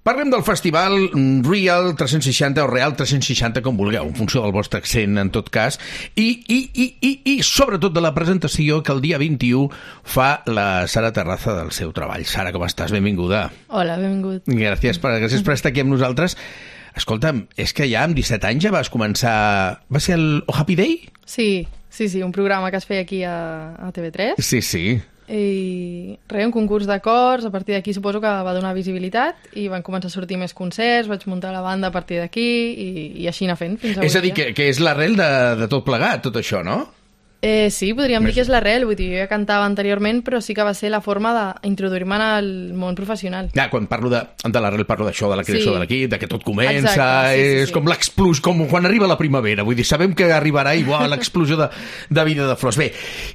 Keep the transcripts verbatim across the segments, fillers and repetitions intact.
Parlem del festival Real tres-cents seixanta o Real tres-cents seixanta, com vulgueu, en funció del vostre accent, en tot cas, i, i, i, i, i sobretot de la presentació que el dia vint-i-u fa la Sara Terraza del seu treball. Sara, com estàs? Benvinguda. Hola, benvingut. Gràcies per, gràcies per estar aquí amb nosaltres. Escolta'm, és que ja amb disset anys ja vas començar... Va ser el Oh Happy Day? Sí, sí, sí, un programa que es feia aquí a, a T V tres. Sí, sí. I res, un concurs d'acords, a partir d'aquí suposo que va donar visibilitat i van començar a sortir més concerts, vaig muntar la banda a partir d'aquí i, i així anar fent fins avui. És a dir, que, que és l'arrel de, de tot plegat, tot això, no? Eh, sí, podríem més dir que és l'arrel, vull dir, jo ja cantava anteriorment, però sí que va ser la forma d'introduir-me en el món professional. Ja, quan parlo de, de l'arrel parlo d'això, de la creació sí. de l'equip, de que tot comença, exacte, sí, sí, és sí. com l'explosió, com quan arriba la primavera, vull dir, sabem que arribarà igual l'explosió de, de vida de flors. Bé,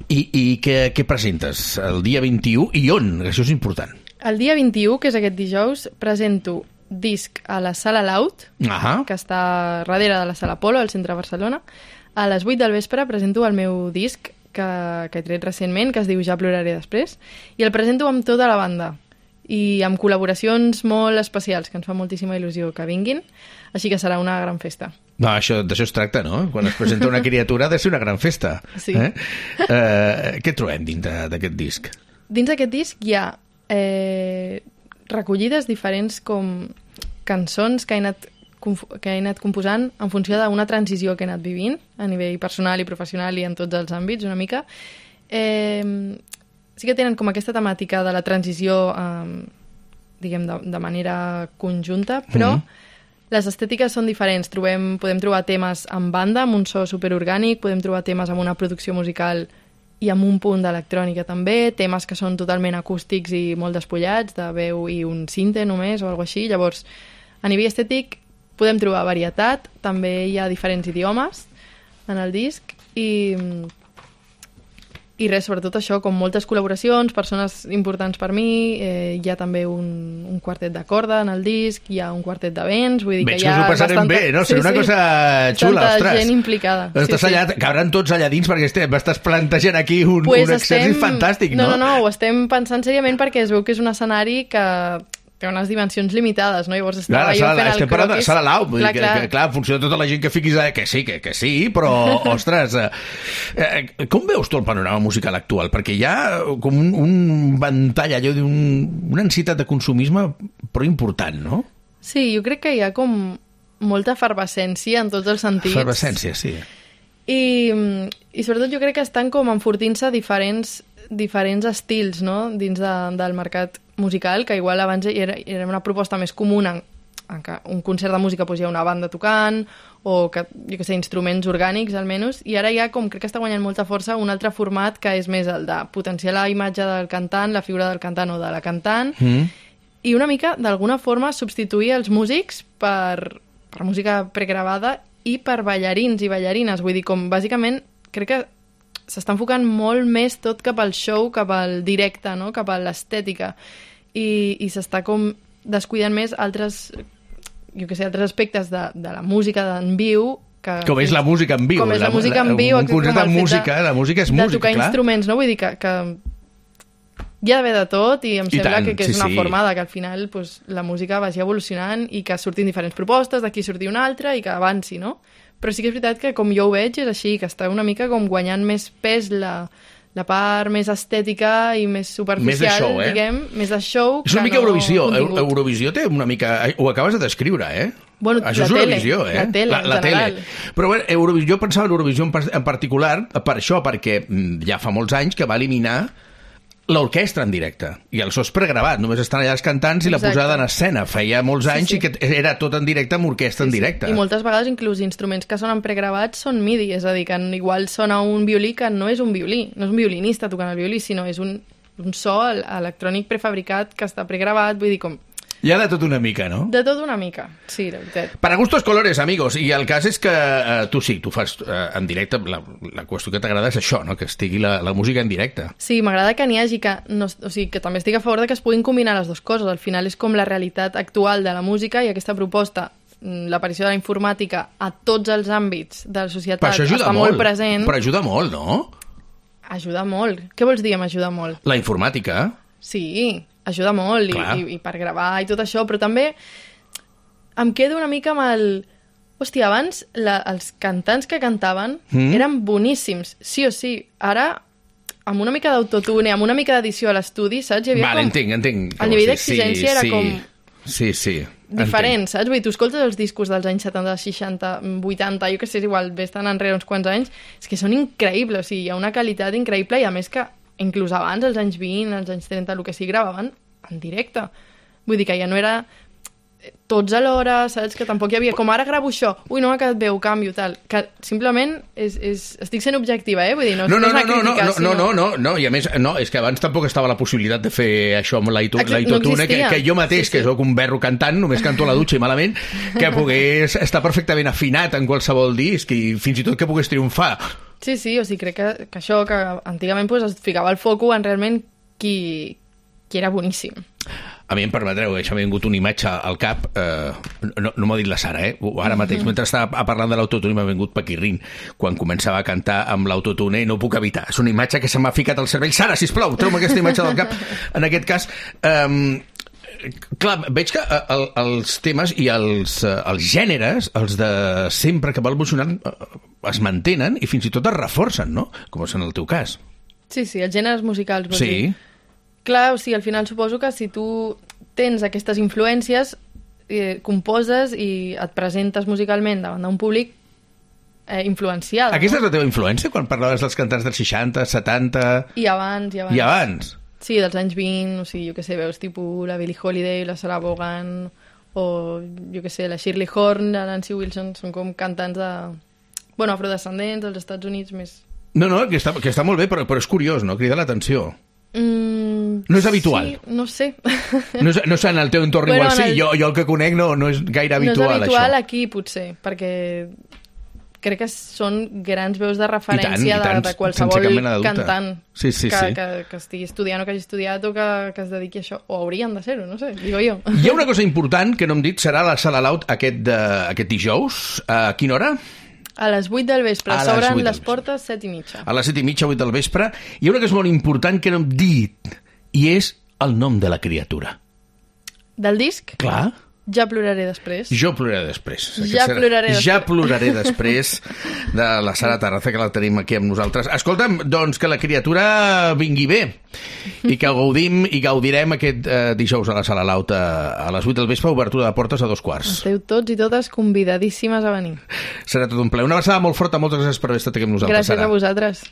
i, i què, què presentes el dia vint-i-u i on? Això és important. El dia vint-i-u, que és aquest dijous, presento disc a la Sala Laut, Ahà. que està darrere de la Sala Polo, al centre de Barcelona. A les vuit del vespre presento el meu disc que, que he tret recentment, que es diu Ja ploraré després, i el presento amb tota la banda i amb col·laboracions molt especials, que ens fa moltíssima il·lusió que vinguin, així que serà una gran festa. No, això, d'això es tracta, no? Quan es presenta una criatura ha de ser una gran festa. Sí. Eh? Eh, què trobem dintre d'aquest disc? Dins d'aquest disc hi ha eh, recollides diferents com cançons que he anat que he anat composant en funció d'una transició que he anat vivint a nivell personal i professional i en tots els àmbits, una mica. Eh, sí que tenen com aquesta temàtica de la transició eh, diguem, de, de manera conjunta, però mm. les estètiques són diferents. Trobem, podem trobar temes en banda, amb un so superorgànic, podem trobar temes amb una producció musical i amb un punt d'electrònica també, temes que són totalment acústics i molt despullats, de veu i un sinte només o alguna així. Llavors, a nivell estètic podem trobar varietat, també hi ha diferents idiomes en el disc i, i res, sobretot això, com moltes col·laboracions, persones importants per mi, eh, hi ha també un, un quartet de corda en el disc, hi ha un quartet de vents, vull dir Veig que hi ha que us ho passarem bastanta... bé, no? Serà sí, una sí. cosa xula, Tanta ostres. gent implicada. Estàs sí, allà, sí. cabran tots allà dins perquè estem, estàs plantejant aquí un, pues un exèrcit estem... fantàstic, no? No, no, no, ho estem pensant seriament perquè es veu que és un escenari que té unes dimensions limitades, no? Llavors estava clar, jo sala, fent el estem parlant de croquis. Sala Lau, vull dir clar, que, clar. que, clar, en funció de tota la gent que fiquis allà, que sí, que, que sí, però, ostres, eh, eh, com veus tu el panorama musical actual? Perquè hi ha com un, un ventall, allò d'un, una ansietat de consumisme, però important, no? Sí, jo crec que hi ha com molta efervescència en tots els sentits. Efervescència, sí. I, i sobretot jo crec que estan com enfortint-se diferents, diferents estils, no?, dins de, del mercat musical, que igual abans era, era una proposta més comuna en què un concert de música doncs, hi ha una banda tocant o que, jo que sé, instruments orgànics almenys, i ara ja com crec que està guanyant molta força un altre format que és més el de potenciar la imatge del cantant, la figura del cantant o de la cantant, mm. i una mica d'alguna forma substituir els músics per, per música pregravada i per ballarins i ballarines, vull dir, com bàsicament crec que s'està enfocant molt més tot cap al show, cap al directe, no?, cap a l'estètica, i, i s'està com descuidant més altres, jo què sé, altres aspectes de, de la música en viu, que, com és la música en viu. Com és la, la música en viu. Un concert de música, la música és música, clar. De tocar instruments, no? Vull dir que, que hi ha d'haver de tot i em I sembla tant, que, que és sí, una sí. forma de que al final pues, la música vagi evolucionant i que surtin diferents propostes, d'aquí surti una altra i que avanci, no? Però sí que és veritat que com jo ho veig és així, que està una mica com guanyant més pes la, la part més estètica i més superficial, més de show, eh? diguem, més de show és una que mica no Eurovisió. contingut. Eurovisió té una mica... Ho acabes de descriure, eh? Bueno, això la és tele, Eurovisió, eh? la tele, la, la en general. tele. Però bueno, Eurovisió, jo pensava en Eurovisió en, en particular per això, perquè ja fa molts anys que va eliminar l'orquestra en directe, i el so és pregravat, només estan allà els cantants i la Exacte. posada en escena. Feia molts anys sí, sí. i que era tot en directe amb orquestra Sí, en sí. directe. I moltes vegades inclús instruments que sonen pregravats són MIDI, és a dir, que igual sona un violí que no és un violí, no és un violinista tocant el violí, sinó és un, un so electrònic prefabricat que està pregravat, vull dir, com... Hi ha de tot una mica, no? De tot una mica, sí, de veritat. Para gustos colores, amigos. I el cas és que eh, tu sí, tu fas eh, en directe, la, la qüestió que t'agrada és això, no? Que estigui la, la música en directe. Sí, m'agrada que n'hi hagi que... No, o sigui, que també estic a favor de que es puguin combinar les dues coses. Al final és com la realitat actual de la música i aquesta proposta, l'aparició de la informàtica a tots els àmbits de la societat està molt, molt present. Però ajuda molt, no? Ajuda molt. Què vols dir amb ajuda molt? La informàtica. Sí, ajuda molt i, i, i per gravar i tot això, però també em quedo una mica amb el... Hòstia, abans la, els cantants que cantaven mm. eren boníssims, sí o sí. Ara, amb una mica d'autotune, amb una mica d'edició a l'estudi, saps? Hi havia vale, com... entenc, entenc. El nivell d'exigència sí, era sí. com... Sí, sí. diferent, entenc. saps? Vull dir, tu escoltes els discos dels anys setanta, seixanta, vuitanta, jo que sé, és igual, ves tan enrere uns quants anys, és que són increïbles, o sigui, hi ha una qualitat increïble i a més que inclús abans, als anys vint, als anys trenta, el que sigui, gravaven en directe. Vull dir que ja no era tots alhora, saps? Que tampoc hi havia... Com ara gravo això, ui, no m'ha quedat bé, ho canvio, tal. Que simplement és, és... estic sent objectiva, eh? Vull dir, no, no, no, no és una no, crítica, no, no, sinó... no, no, no, i a més, no, és que abans tampoc estava la possibilitat de fer això amb l'autotune, no que, que jo mateix, sí, sí. que sóc un berro cantant, només canto a la dutxa i malament, que pogués estar perfectament afinat en qualsevol disc i fins i tot que pogués triomfar. Sí, sí, o sigui, crec que, que això, que antigament pues, es ficava el foco en realment qui, qui era boníssim. A mi em permetreu, això m'ha vingut una imatge al cap, eh, no, no m'ho ha dit la Sara, eh? Ara mateix, mentre estava parlant de l'autotune m'ha vingut paquirrin, quan començava a cantar amb l'autotune i no ho puc evitar. És una imatge que se m'ha ficat al cervell. Sara, sisplau, treu-me aquesta imatge del cap. En aquest cas, eh, clar, veig que el, els temes i els, els gèneres, els de sempre que va evolucionant, es mantenen i fins i tot es reforcen, no? Com és en el teu cas. Sí, sí, els gèneres musicals. Sí. Dir. Clar, o sigui, al final suposo que si tu tens aquestes influències, eh, composes i et presentes musicalment davant d'un públic eh, influenciat. Aquesta no? és la teva influència, quan parlaves dels cantants dels seixanta, setanta... I abans, i abans. I abans? Sí, dels anys vint, o sigui, jo què sé, veus tipus la Billie Holiday, la Sarah Vaughan, o jo què sé, la Shirley Horn, la Nancy Wilson, són com cantants de... Bueno, afrodescendents dels Estats Units més... No, no, que està, que està molt bé, però, però és curiós, no? Crida l'atenció. Mm, no és habitual. Sí, no sé. No és, no és en el teu entorn bueno, igual sí, el... jo, jo el que conec no, no és gaire habitual, això. No és habitual això. Aquí, potser, perquè crec que són grans veus de referència I tant, i tant, de, de qualsevol cantant sí, sí, que, sí. que, que estigui estudiant o que hagi estudiat o que, que es dediqui a això. O haurien de ser-ho, no sé, digo jo. Hi ha una cosa important que no hem dit, serà la Sala Loud aquest, de, aquest dijous. A quina hora? A les vuit del vespre, s'obren les portes set i mitja. A les set i mitja, vuit del vespre. Hi ha una cosa molt important que no hem dit, i és el nom de la criatura. Del disc? Clar. Ja ploraré després. Jo ploraré després. Ja serà... ploraré després. Ja ploraré després de la Sara Tarraza, que la tenim aquí amb nosaltres. Escolta'm, doncs que la criatura vingui bé i que gaudim i gaudirem aquest eh, dijous a la Sala Loud a, a les vuit del vespre, obertura de portes a dos quarts. Esteu tots i totes convidadíssimes a venir. Serà tot un plaer. Una abraçada molt forta, moltes gràcies per haver estat aquí amb nosaltres, Gràcies Sara. a vosaltres.